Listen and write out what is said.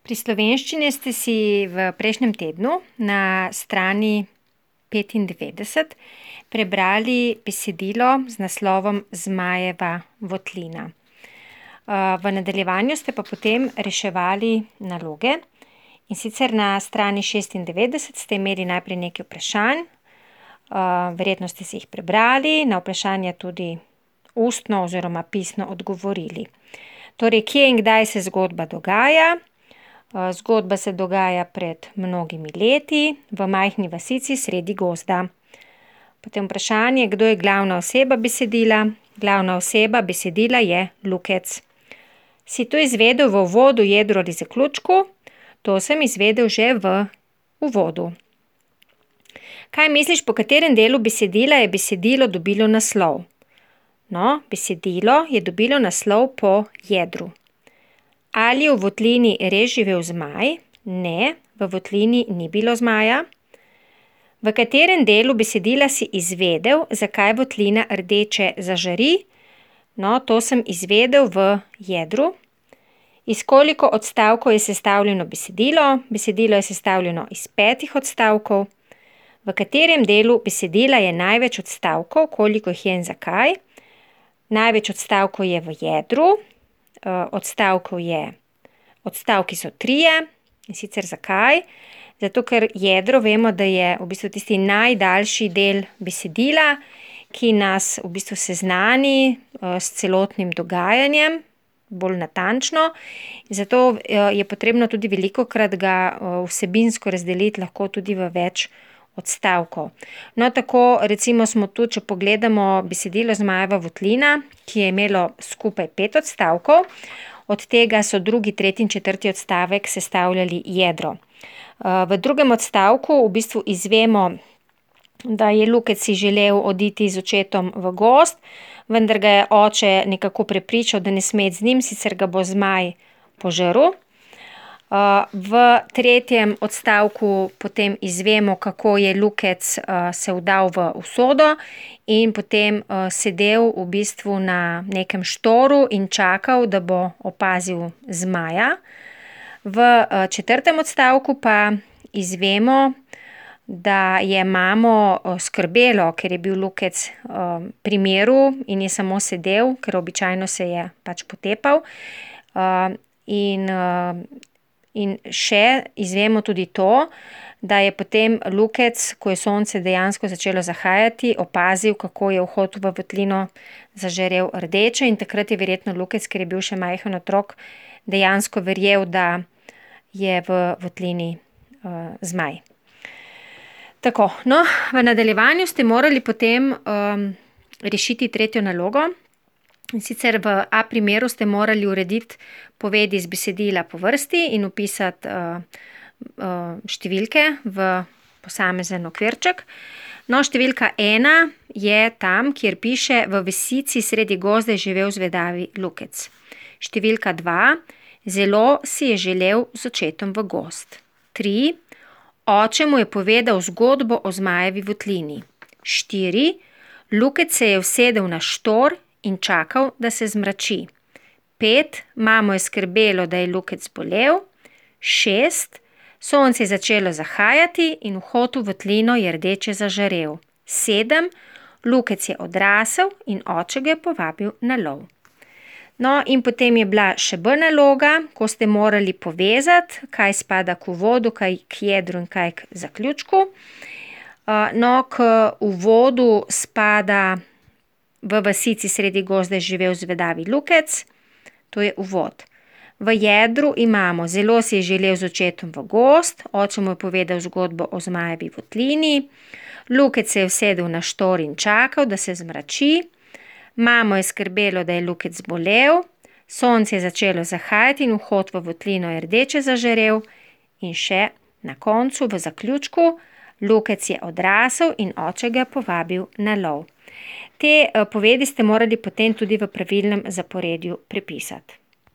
Pri slovenščini ste si v prejšnjem tednu na strani 95 prebrali besedilo z naslovom Zmajeva votlina. V nadaljevanju ste pa potem reševali naloge, in sicer na strani 96 ste imeli najprej nekaj vprašanj, verjetno ste si jih prebrali, na vprašanja tudi ustno oziroma pisno odgovorili. Torej, kje in kdaj se zgodba dogaja? Zgodba se dogaja pred mnogimi leti v majhni vasici sredi gozda. Potem vprašanje, kdo je glavna oseba besedila? Glavna oseba besedila je Lukec. Si to izvedel v uvodu, jedru ali zaključku? To sem izvedel že v uvodu. Kaj misliš, po katerem delu besedila je besedilo dobilo naslov? No, besedilo je dobilo naslov po jedru. Ali je v votlini res živel zmaj? Ne, v votlini ni bilo zmaja. V katerem delu besedila si izvedel, zakaj votlina rdeče zažari? No, to sem izvedel v jedru. Iz koliko odstavkov je sestavljeno besedilo? Besedilo je sestavljeno iz 5 odstavkov. V katerem delu besedila je največ odstavkov, koliko jih je in zakaj? Največ odstavkov je v jedru. Odstavki so 3, in sicer zakaj? Zato, ker jedro vemo, da je v bistvu tisti najdaljši del besedila, ki nas v bistvu seznani s celotnim dogajanjem, bolj natančno. Zato je potrebno tudi velikokrat ga vsebinsko razdeliti lahko tudi v več odstavkov. No, tako recimo smo tu, če pogledamo besedilo Zmajeva votlina, ki je imelo skupaj 5 odstavkov, od tega so 2., 3. in 4. odstavek sestavljali jedro. V 2. odstavku v bistvu izvemo, da je Lukec si želel oditi z očetom v gozd, vendar ga je oče nekako prepričal, da ne sme iti z njim, sicer ga bo zmaj požrl. V 3. odstavku potem izvemo, kako je Lukec se vdal v usodo in potem sedel v bistvu na nekem štoru in čakal, da bo opazil zmaja. V 4. odstavku pa izvemo, da je mamo skrbelo, ker je bil Lukec pri miru in je samo sedel, ker običajno se je pač potepal. In še izvemo tudi to, da je potem Lukec, ko je sonce dejansko začelo zahajati, opazil, kako je vhod v votlino zažarel rdeče, in takrat je verjetno Lukec, ker je bil še majhen otrok, dejansko verjel, da je v votlini zmaj. Tako, no, v nadaljevanju ste morali potem rešiti 3. nalogo. In sicer v A primeru ste morali urediti povedi iz besedila po vrsti in vpisati številke v posamezen okvirček. No, številka 1 je tam, kjer piše: v vasici sredi gozda je živel zvedavi Lukec. Številka 2: zelo si je želel z očetom v gozd. 3: oče mu je povedal zgodbo o Zmajevi votlini. 4: Lukec se je usedel na štor in čakal, da se zmrači. 5: mamo je skrbelo, da je Lukec zbolel. 6: sonce je začelo zahajati in vhod v votlino je rdeče zažarel. 7: Lukec je odrasel in oče ga je povabil na lov. No, in potem je bila še B naloga, ko ste morali povezati, kaj spada k uvodu, kaj k jedru in kaj k zaključku. No, k uvodu spada: v vasici sredi gozda je živel zvedavi Lukec, to je uvod. V jedru imamo: zelo si je želel z očetom v gozd, oče mu je povedal zgodbo o Zmajevi votlini, Lukec se je usedel na štor in čakal, da se zmrači, mamo je skrbelo, da je Lukec zbolel, sonce je začelo zahajati in vhod v votlino je rdeče zažarel, in še na koncu v zaključku: Lukec je odrasel in oče ga je povabil na lov. Te povedi ste morali potem tudi v pravilnem zaporedju prepisati.